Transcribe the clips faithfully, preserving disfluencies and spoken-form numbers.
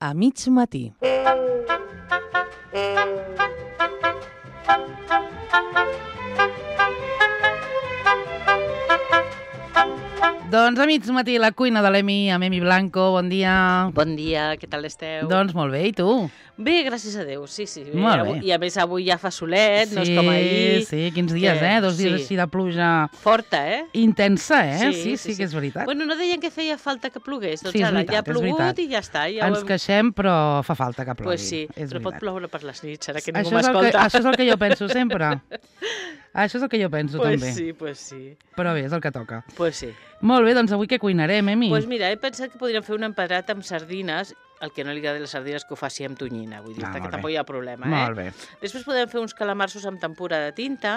a mig matí. Doncs a mig matí la cuina de l'Emi, amb Emi Blanco, bon dia. Bon dia, què tal esteu? Doncs molt bé, i tu? Bé, gràcies a Déu, sí, sí. Molt bé. I a més avui ja fa solet, sí, no és com ahir. Sí, quins dies, que... eh? Dos dies sí. així de pluja... Forta, eh? Intensa, eh? Sí, sí, sí, sí, sí que és veritat. Bueno, no deien que feia falta que plogués, doncs sí, ara veritat, ja ha plogut i ja està. Ja Ens hem... queixem, però fa falta que plogui. Pues sí, és però veritat. pot ploure per les nits, ara que això ningú m'escolta. Que, això és el que jo penso sempre. Això és el que jo penso, pues també. Sí, pues sí. Però bé, és el que toca. Pues sí. Molt bé, doncs avui què cuinarem, Emi? Doncs pues mira, he pensat que podríem fer un empedrat amb sardines, el que no li agrada les sardines que ho faci amb tonyina, vull dir, ah, que tampoc hi ha problema, eh? Molt bé. Després podem fer uns calamarsos amb tempura de tinta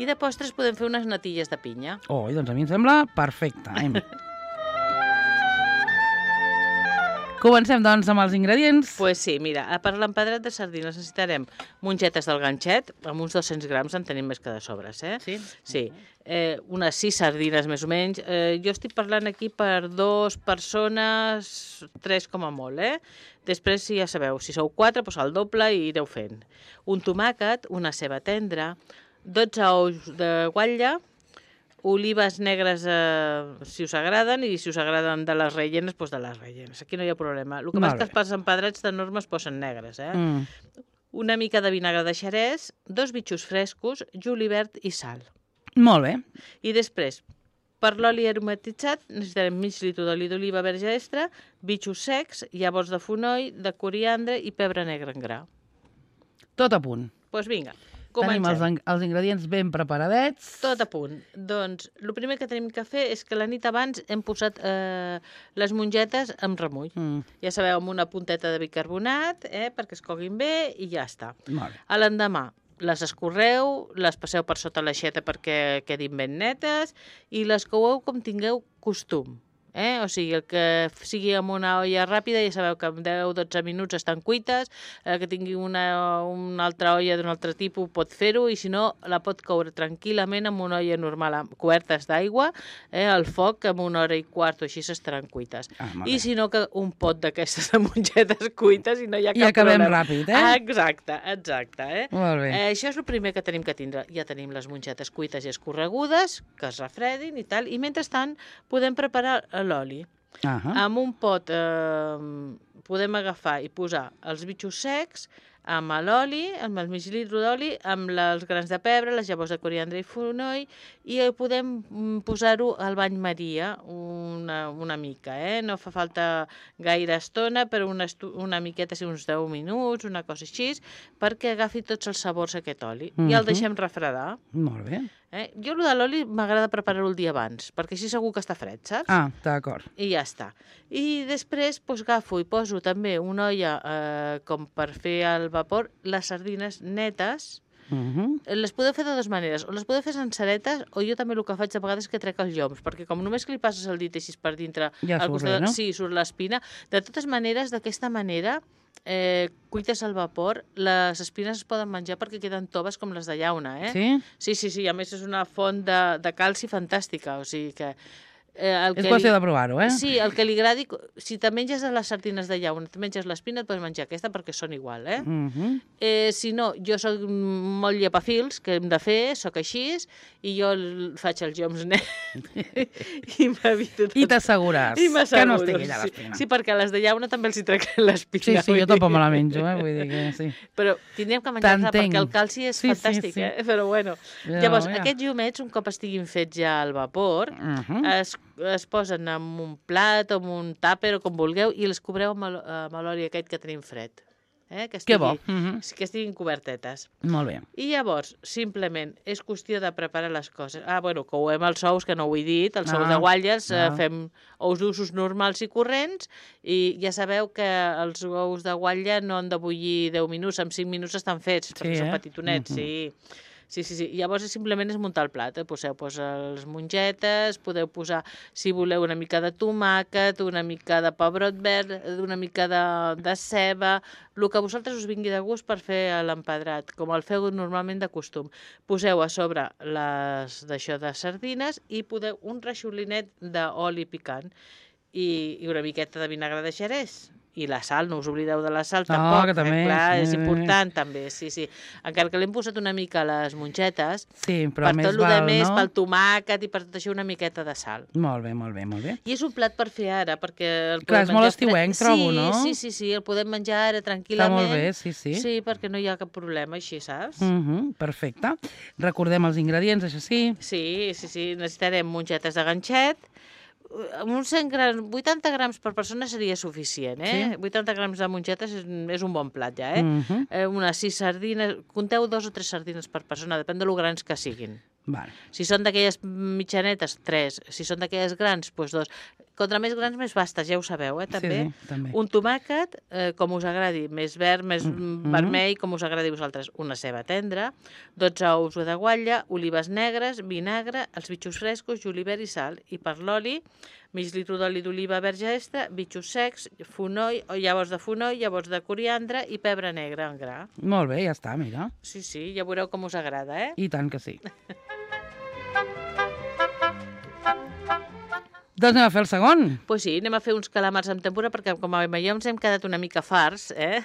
i de postres podem fer unes natilles de pinya. Oh, doncs a mi em sembla perfecte, Emi. Comencem, doncs, amb els ingredients. Doncs pues sí, mira, per l'empedrat de sardines necessitarem mongetes del ganxet, amb uns dos-cents grams en tenim més que de sobres, eh? Sí? Sí. Eh, unes sis sardines, més o menys. Eh, jo estic parlant aquí per dues persones, tres com a molt, eh? Després, si ja sabeu, si sou quatre, doncs el doble i ireu fent. Un tomàquet, una ceba tendra, dotze ous de guatlla, olives negres, eh, si us agraden, i si us agraden de les rellenes, doncs de les rellenes. Aquí no hi ha problema. El que passa és que els empedrats de norma es posen negres, eh? Mm. Una mica de vinagre de xerès, dos bitxos frescos, julivert i sal. Molt bé. I després, per l'oli aromatitzat, necessitarem mig litre d'oli d'oliva verge extra, bitxos secs, llavors de fonoll, de coriandre i pebre negre en gra. Tot a punt. Doncs pues vinga. Comencem. Tenim els, els ingredients ben preparadets. Tot a punt. Doncs el primer que tenim que fer és que la nit abans hem posat eh, les mongetes amb remull. Mm. Ja sabeu, amb una punteta de bicarbonat, eh, perquè es coguin bé i ja està. Molt bé. A l'endemà les escorreu, les passeu per sota l'aixeta perquè quedin ben netes i les coueu com tingueu costum. Eh? O sigui, el que sigui amb una olla ràpida, ja sabeu que en deu a dotze minuts estan cuites, el que tingui una, una altra olla d'un altre tipus pot fer-ho, i si no, la pot coure tranquil·lament amb una olla normal, amb cobertes d'aigua, eh, al foc, amb una hora i quart o així s'estaran cuites. Ah, I si no, que un pot d'aquestes de mongetes cuites i no hi ha cap I acabem problema. ràpid, eh? Ah, exacte, exacte. Eh? Molt bé. Eh, això és el primer que tenim que tindre. Ja tenim les mongetes cuites i escorregudes, que es refredin i tal, i mentrestant podem preparar l'oli. Uh-huh. Amb un pot eh, podem agafar i posar els bitxos secs amb l'oli, amb el mig litre d'oli, amb els grans de pebre, les llavors de coriandre i fonoll, i podem posar-ho al bany Maria una, una mica, eh? No fa falta gaire estona, però una, una miqueta, sí, uns deu minuts, una cosa així, perquè agafi tots els sabors aquest oli. Uh-huh. I el deixem refredar. Molt bé. Eh? Jo el de l'oli m'agrada preparar-ho el dia abans, perquè així segur que està fred, saps? Ah, d'acord. I ja està. I després doncs, agafo i poso també una olla eh, com per fer al vapor les sardines netes. Uh-huh. Les podeu fer de dues maneres, o les podeu fer senceretes, o jo també el que faig de vegades és que trec els lloms, perquè com només que li passes el dit així per dintre, ja surt bé, no? Sí, surt l'espina. De totes maneres, d'aquesta manera, eh, cuites al vapor, les espines es poden menjar perquè queden toves com les de llauna, eh? Sí? Sí, sí, sí, a més és una font de, de calci fantàstica, o sigui que... Eh, el és que qüestió li... de provar-ho, eh? Sí, el que li agradi... Si te menges les sardines de llauna, te menges l'espina, et pots menjar aquesta perquè són igual, eh? Uh-huh. eh si no, jo soc molt llepafils, que hem de fer, soc així, i jo faig els lloms nets i m'evito tot. I t'assegures que no estigui allà l'espina. Sí, sí, perquè a les de llauna també els hi trec l'espina. Sí, sí, jo tampoc me la menjo, eh? Vull dir que sí. Però tindríem que menjar-la perquè el calci és sí, fantàstic, sí, sí. eh? Però bueno. Ja, llavors, ja. aquests llumets, un cop estiguin fets ja al vapor, uh-huh. es es posen en un plat o en un tàper o com vulgueu i les cobreu amb l'oli aquest que tenim fred. Eh? Que, estigui, que bo. Uh-huh. Que estiguin cobertetes. Molt bé. I llavors, simplement, és qüestió de preparar les coses. Ah, bueno, couem els ous, que no ho he dit, els ah, ous de guatlles, ah. eh, fem ous d'usos normals i corrents, i ja sabeu que els ous de guatlla no han de bullir deu minuts, en cinc minuts estan fets, sí, perquè eh? són petitonets, uh-huh. sí. Sí, sí, sí. Llavors simplement és muntar el plat. Eh? Poseu pues, les mongetes, podeu posar, si voleu, una mica de tomàquet, una mica de pebrot verd, una mica de, de ceba, el que a vosaltres us vingui de gust per fer l'empedrat, com el feu normalment de costum. Poseu a sobre les d'això de sardines i podeu un reixolinet d'oli picant. i, i una miqueta de vinagre de xerès. I la sal, no us oblideu de la sal, Ah, tampoc. que també, eh? Clar, sí, és sí. important, també, sí, sí. Encara que l'hem posat una mica a les mongetes, Sí, però per més tot el val, més, no? pel tomàquet i per tot això, una miqueta de sal. Molt bé, molt bé, molt bé. I és un plat per fer ara, perquè el Clar, podem és molt menjar estiuenc, fre- trobo, sí, no? Sí, sí, sí, el podem menjar ara Està tranquil·lament. molt bé, sí, sí. Sí, perquè no hi ha cap problema, així, saps? Uh -huh, perfecte. Recordem els ingredients, això sí. Sí, sí, sí, necessitarem mongetes de ganxet, amb uns cent grams, vuitanta grams per persona seria suficient, eh? Sí. vuitanta grams de mongetes és, és un bon plat ja, eh? Uh -huh. eh? Unes sis sardines, compteu dos o tres sardines per persona, depèn de lo grans que siguin. Vale. Si són d'aquelles mitjanetes, tres. Si són d'aquelles grans, doncs dos. Contra més grans, més bastes, ja ho sabeu, eh, també. Sí, sí, també. Un tomàquet, eh, com us agradi, més verd, més mm. vermell, com us agradi a vosaltres. Una ceba tendra, dotze ous de guatlla, olives negres, vinagre, els bitxos frescos, julivert i sal. I per l'oli, mig litre d'oli d'oliva verge extra, bitxos secs, fonoll, o llavors de fonoll, llavors de coriandre i pebre negre en gra. Molt bé, ja està, mira. Sí, sí, ja veureu com us agrada, eh? I tant que sí. Doncs anem a fer el segon. Doncs pues sí, anem a fer uns calamars amb tempura, perquè com a jo ens hem quedat una mica farts, eh?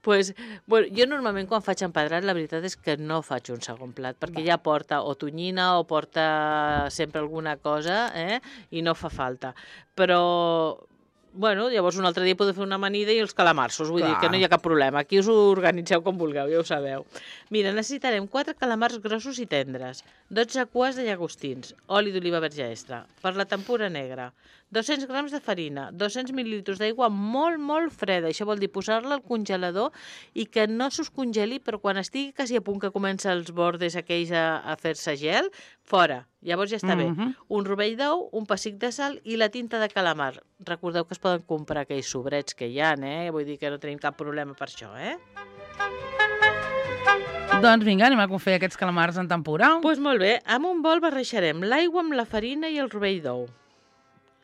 Pues, bueno, jo normalment quan faig empedrat la veritat és que no faig un segon plat, perquè ja porta o tonyina o porta sempre alguna cosa, eh? I no fa falta. Però... Bueno, llavors un altre dia podeu fer una amanida i els calamarsos, vull Clar. dir que no hi ha cap problema. Aquí us ho organitzeu com vulgueu, ja ho sabeu. Mira, necessitarem quatre calamars grossos i tendres, dotze cues de llagostins, oli d'oliva verge extra, per la tempura negra, dos-cents grams de farina, dos-cents mil·lilitres d'aigua molt, molt freda. Això vol dir posar-la al congelador i que no s'us congeli, però quan estigui quasi a punt que comença els bordes aquells a, a fer-se gel, fora. Llavors ja està bé. Mhm. Un rovell d'ou, un pessic de sal i la tinta de calamar. Recordeu que es poden comprar aquells sobrets que hi ha, eh? Vull dir que no tenim cap problema per això, eh? Doncs vinga, anem a fer aquests calamars en tempura. Doncs pues molt bé, amb un bol barrejarem l'aigua amb la farina i el rovell d'ou,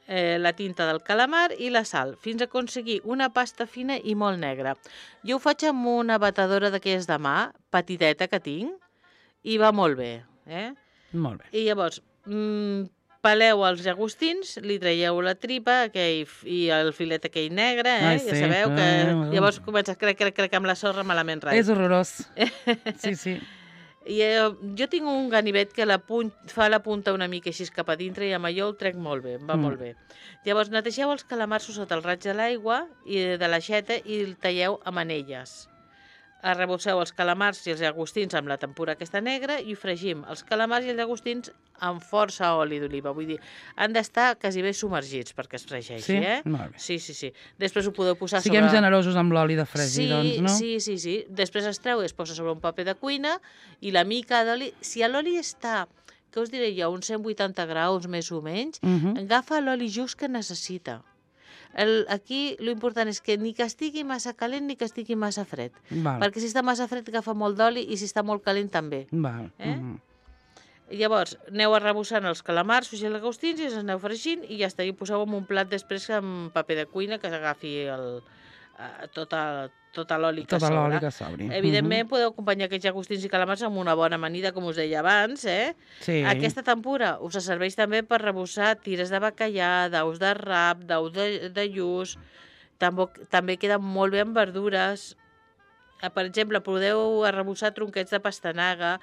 eh, la tinta del calamar i la sal, fins a aconseguir una pasta fina i molt negra. Jo ho faig amb una batedora d'aquelles de mà, petiteta que tinc, i va molt bé, eh? Molt bé. I llavors, mmm, peleu els llagostins, li traieu la tripa aquell, i el filet aquell negre, eh? Ai, Ja sí. sabeu que Ai, llavors comença a crec, crec, crec amb la sorra malament res. És horrorós. Sí, sí. I eh, jo tinc un ganivet que la punt, fa la punta una mica així cap a dintre i amb allò el trec molt bé, em va Mm. molt bé. Llavors netegeu els calamarsos sota el raig de l'aigua i de l'aixeta i el talleu a manelles. Arrebosseu els calamars i els llagostins amb la tempura aquesta negra i fregim els calamars i els llagostins amb força oli d'oliva. Vull dir, han d'estar quasi bé submergits perquè es fregeixi, Sí? eh? Molt bé. Sí, sí, sí. Després ho podeu posar Siguem sobre... generosos amb l'oli de fregir, Sí, doncs, no? sí, sí, sí. Després es treu i es posa sobre un paper de cuina i la mica d'oli... Si l'oli està, què us diré jo, uns cent vuitanta graus més o menys, Mhm. agafa l'oli just que necessita. El, aquí l'important és que ni que estigui massa calent ni que estigui massa fred. Val. Perquè si està massa fred agafa molt d'oli i si està molt calent també. Val. Eh? Mhm. Llavors, aneu arrebossant els calamars i els llagostins i els aneu fregint i ja està. I ho poseu en un plat després amb paper de cuina que s'agafi el, eh, tota, tota l'oli que Tota sobra. l'oli que sobri. Evidentment, podeu acompanyar aquests llagostins i calamars amb una bona amanida, com us deia abans, eh? Sí. Aquesta tempura us serveix també per rebossar tires de bacallà, d'ous de rap, d'ous de, de lluç. També, també queda molt bé amb verdures. Eh, Per exemple, podeu arrebossar tronquets de pastanaga.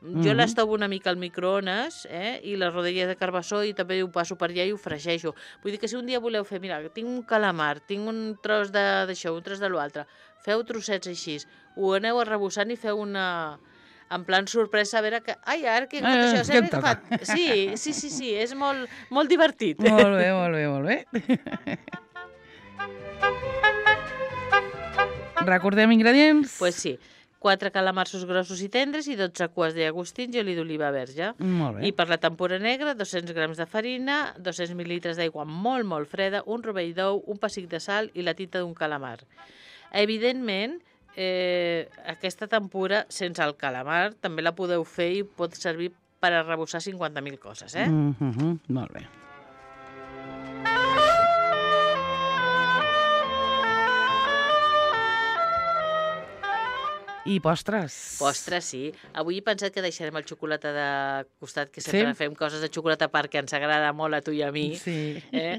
Jo Mhm. les tovo una mica al microones, eh? I les rodelles de carbassó i també ho passo per allà i ho fregeixo. Vull dir que si un dia voleu fer, mira, tinc un calamar, tinc un tros de- d'això, un tros de l'altre, feu trossets així, ho aneu arrebossant i feu una... en plan sorpresa, a veure que... Ai, ara que he agafat Eh, això, què sempre em he agafat... Sí, sí, sí, sí, és molt, molt divertit. Molt bé, molt bé, molt bé. Recordem ingredients? Pues sí, quatre calamarsos grossos i tendres i dotze cues de llagostins i oli d'oliva verge. Molt bé. I per la tempura negra, dos-cents grams de farina, dos-cents mil·lilitres d'aigua molt, molt freda, un rovell d'ou, un pessic de sal i la tinta d'un calamar. Evidentment, eh, aquesta tempura, sense el calamar, també la podeu fer i pot servir per arrebossar cinquanta mil coses, eh? Mm -hmm. Molt bé. I postres. Postres, sí. Avui he pensat que deixarem el xocolata de costat, que sempre Sí? fem coses de xocolata perquè ens agrada molt a tu i a mi. Sí. Eh?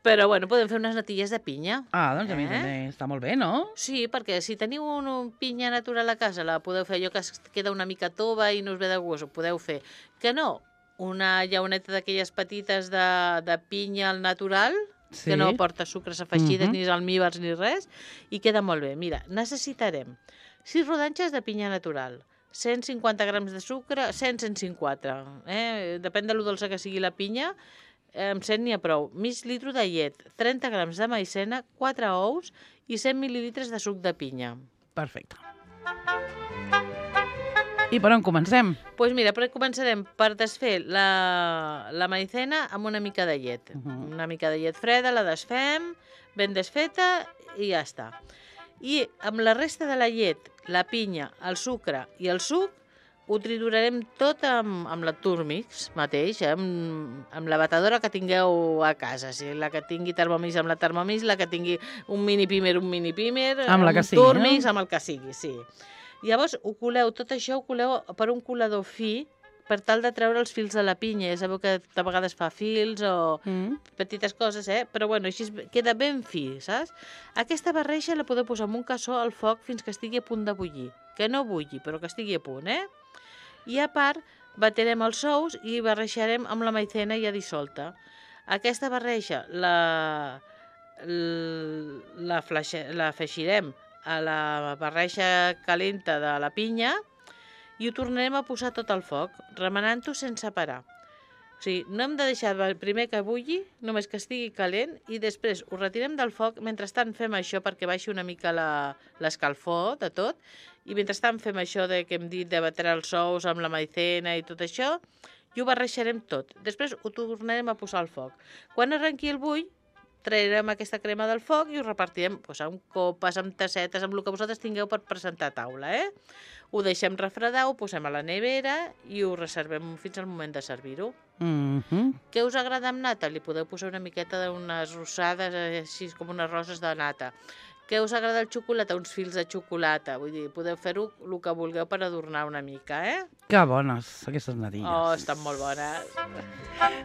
Però, bueno, podem fer unes natilles de pinya. Ah, doncs a mi Eh? també està molt bé, no? Sí, perquè si teniu un, un pinya natural a casa, la podeu fer, allò que es queda una mica tova i no us ve de gust, ho podeu fer. Que no, una llauneta d'aquelles petites de, de pinya al natural, Sí. que no porta sucres afegides, Mhm. ni almíbars, ni res, i queda molt bé. Mira, necessitarem sis rodanxes de pinya natural, cent cinquanta grams de sucre, cent, cent cinquanta. Eh? Depèn de lo dolça que sigui la pinya, eh, amb cent n'hi ha prou. Mig litro de llet, trenta grams de maicena, quatre ous i cent mil·lilitres de suc de pinya. Perfecte. I per on comencem? Doncs pues mira, però començarem per desfer la, la maicena amb una mica de llet. Uh -huh. Una mica de llet freda, la desfem, ben desfeta i ja està. I amb la resta de la llet, la pinya, el sucre i el suc, ho triturarem tot amb, amb la Turmix mateix, eh? amb, amb la batedora que tingueu a casa. Si la que tingui Thermomix, amb la Thermomix, la que tingui un mini pimer, un mini pimer, Amb la que un sigui, Turmix, no? amb el que sigui, sí. Llavors, ho coleu, tot això ho coleu per un colador fi per tal de treure els fils de la pinya. Ja sabeu que de vegades fa fils o Mm. petites coses, eh? Però bueno, així queda ben fi, saps? Aquesta barreja la podeu posar en un cassó al foc fins que estigui a punt de bullir. Que no bulli, però que estigui a punt, eh? I a part, baterem els ous i barrejarem amb la maicena ja dissolta. Aquesta barreja la, la, fleixe, la afegirem a la barreja calenta de la pinya i ho tornarem a posar tot al foc, remenant-ho sense parar. O sigui, no hem de deixar primer que bulli, només que estigui calent, i després ho retirem del foc. Mentrestant fem això perquè baixi una mica l'escalfor de tot, i mentrestant fem això de, que hem dit de batre els ous amb la maicena i tot això, i ho barrejarem tot. Després ho tornarem a posar al foc. Quan arrenqui el bull, traurem aquesta crema del foc i ho repartirem doncs, amb copes, amb tassetes, amb el que vosaltres tingueu per presentar a taula. Eh? Ho deixem refredar, ho posem a la nevera i ho reservem fins al moment de servir-ho. Mm -hmm. Què us agrada amb nata? Li podeu posar una miqueta d'unes rosades, així com unes roses de nata. Què us agrada el xocolata? Uns fils de xocolata. Vull dir, podeu fer-ho el que vulgueu per adornar una mica, eh? Que bones, aquestes natilles. Oh, estan molt bones.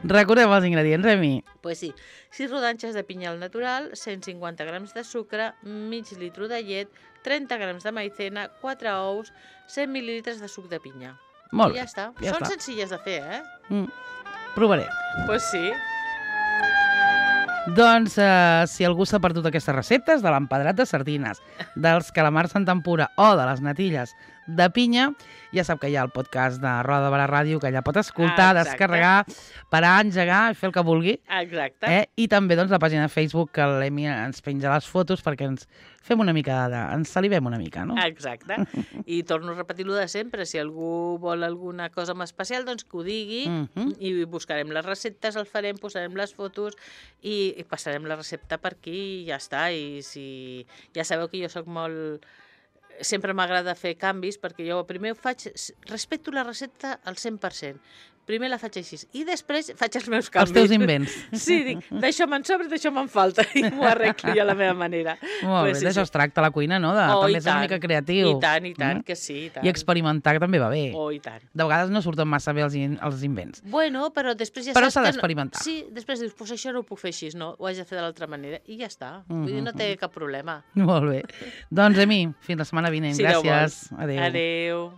Recordem els ingredients, Remi. Doncs pues sí, sis rodanxes de pinya al natural, cent cinquanta grams de sucre, mig litro de llet, trenta grams de maicena, quatre ous, cent mil·lilitres de suc de pinya. Molt I ja bé, està. ja Són està. senzilles de fer, eh? Mm. Provaré. Doncs pues sí. Doncs, eh, si algú s'ha perdut aquestes receptes de l'empedrat de sardines, dels calamars en tempura o de les natilles de pinya, ja sap que hi ha el podcast de Roda de Barà Ràdio, que allà pot escoltar, Ah, descarregar, parar, engegar i fer el que vulgui. Exacte. Eh? I també doncs, la pàgina de Facebook, que l'Emi ens penja les fotos perquè ens fem una mica de... ens salivem una mica, no? Exacte. I torno a repetir-lo de sempre. Si algú vol alguna cosa en especial, doncs que ho digui Mm -hmm. i buscarem les receptes, el farem, posarem les fotos i, i passarem la recepta per aquí i ja està. I si ja sabeu que jo sóc molt... Sempre m'agrada fer canvis perquè jo primer ho faig... Respecto la recepta al cent per cent. Primer la faig així i després faig els meus canvis. Els teus invents. Sí, dic, d'això me'n sobra, d'això me'n falta i m'ho arreglo jo a la meva manera. Molt Pues bé, sí, d'això sí. es tracta la cuina, no? De Oh, també i ser una tant. mica creatiu. I tant, i tant, Mm? que sí, i tant. I experimentar també va bé. Oh, i tant. De vegades no surten massa bé els, in els invents. Bueno, però després ja Però saps s'ha que d'experimentar. No... Sí, després dius, pues això no ho puc fer així, no, ho haig de fer de l'altra manera, i ja està. Vull dir, no té cap problema. Molt bé. Doncs, Emi, fins la setmana vinent. Si Déu Gràcies. vol. Adéu. Adéu.